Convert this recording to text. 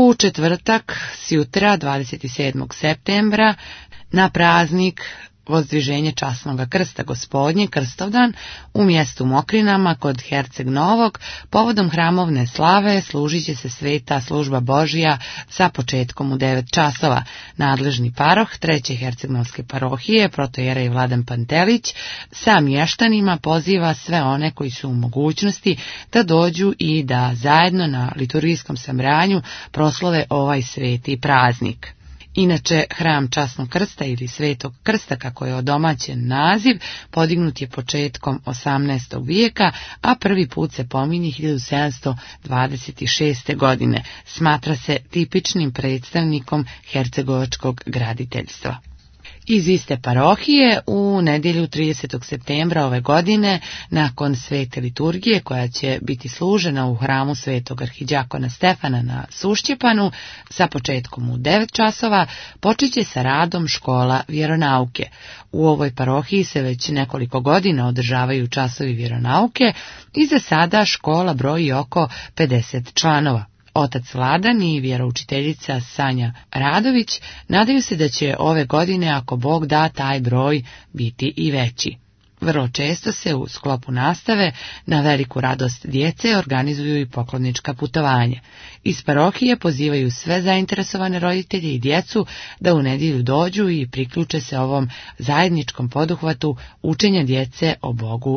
U četvrtak, sjutra, 27. septembra, na praznik Vozdviženje časnog krsta Gospodnje, Krstovdan, u mjestu Mokrinama kod Herceg Novog, povodom hramovne slave služit će se sveta služba Božja sa početkom u 9 časova. Nadležni paroh Treće Hercegnovske parohije, protojerej Vladan Pantelić, sa mještanima poziva sve one koji su u mogućnosti da dođu i da zajedno na liturgijskom sabranju proslove ovaj sveti praznik. Inače, hram Časnog krsta ili Svetog krsta, kako je odomaćen naziv, podignut je početkom 18. vijeka, a prvi put se pominje 1726. godine. Smatra se tipičnim predstavnikom hercegovačkog graditeljstva. Iz iste parohije u nedjelju 30. septembra ove godine, nakon svete liturgije koja će biti služena u hramu svetog arhidjakona Stefana na Sušćepanu sa početkom u 9 časova, počeće sa radom škola vjeronauke. U ovoj parohiji se već nekoliko godina održavaju časovi vjeronauke i za sada škola broji oko 50 članova. Otac Vladan i vjeroučiteljica Sanja Radović nadaju se da će ove godine, ako Bog da, taj broj biti i veći. Vrlo često se u sklopu nastave na veliku radost djece organizuju i poklonička putovanja. Iz parohije pozivaju sve zainteresovane roditelje i djecu da u nedjelju dođu i priključe se ovom zajedničkom poduhvatu učenja djece o Bogu